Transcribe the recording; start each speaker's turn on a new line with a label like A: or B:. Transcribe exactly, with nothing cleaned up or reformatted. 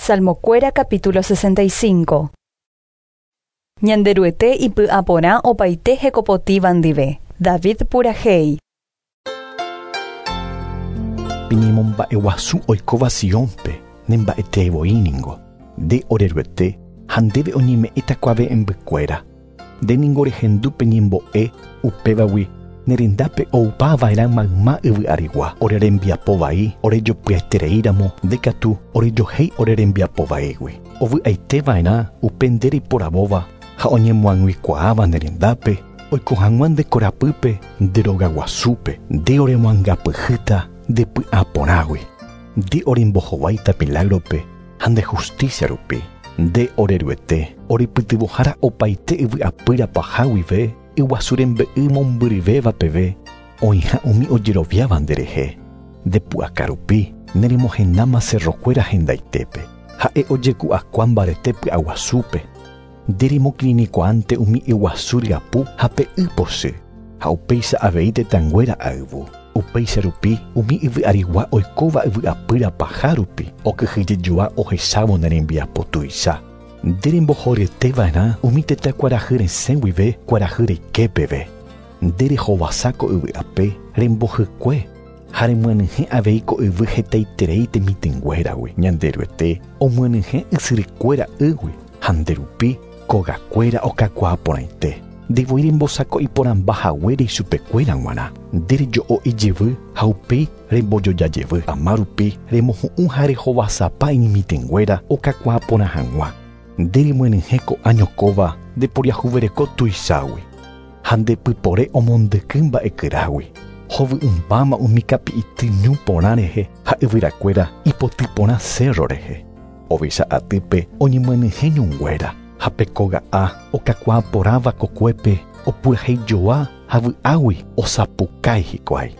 A: Salmokuéra capítulo sesenta y cinco. Ñanderuete ipy'aporã opaite hekopotĩva ndive. David purahéi.
B: Peñemomba'eguasu oikóva Siónpe, nemba'eteevoi ningo. Nde ore Ruete ha ndéve oñeme'ẽta kuave'ẽmbykuéra. Nde ningo rehendu pe ñembo'e upévagui nerendápe oupava'erã mayma yvy arigua. Ore rembiapo vai orejopyetereíramo nde katu orejohéi ore rembiapo vaígui. Ovy'aiteva'erã upe nde reiporavóva ha oñemoag̃uikuaáva nerendápe oiko hag̃ua nde korapýpe nde rogaguasúpe. Nde oremoangapyhýta nde py'aporãgui. Nde orembohováita milagrope ha nde justicia rupi. Nde ore Ruete orepytyvõhára opaite yvy apýra paha guive yguasu rembe'y mombyryvéva peve oĩha umi ojeroviáva nderehe. Nde pu'aka rupi neremohendáma cerrokuéra hendaitépe. Ha'e ojeku'akua mbarete py'aguasúpe. Nde remokirirĩkuaánte umi yguasu ryapu ha pe y pochy ha upéicha avei tetãnguéra ayvu. Upéicha rupi umi yvy arigua oikóva yvy apýra paha rupi okyhyjejoa ohechávo ne rembiapo tuicha. Nde rembohoryeteva'erã umi tetã kuarahy resẽ guive kuarahy reike peve. Nde rehovasa ko yvy ape rembohykue ha remyenyhẽ avei ko yvy hetaiterei temitỹnguéragui. Ñanderuete omyenyhẽ ysyrykuéra ýgui ha nde rupi kogakuéra okakuaa porãite. Ndevoi rembosako'i porãmba haguére ichupekuéra g̃uarã. Nde rejo'o ijyvy ha upéi rembojojajevy. Ama rupi remohu'ũ ha rehovasapa iñemitỹnguéra okakuaa porã hag̃ua. Nde remyenyhẽ ko'ã ñokóva nde poriahuvereko tuichágui ha nde pypore omondyky mba'ekyrágui. Hovy'ỹmbáma umi kapi'ity ñu porã rehe ha yvyrakuéra ipoty porã cerro rehe. Ovecha atýpe oñemyenyhẽ ñunguéra ha pe koga'a okakuaa porãva kokuépe opurahéijoa ha vy'águi osapukái hikuái.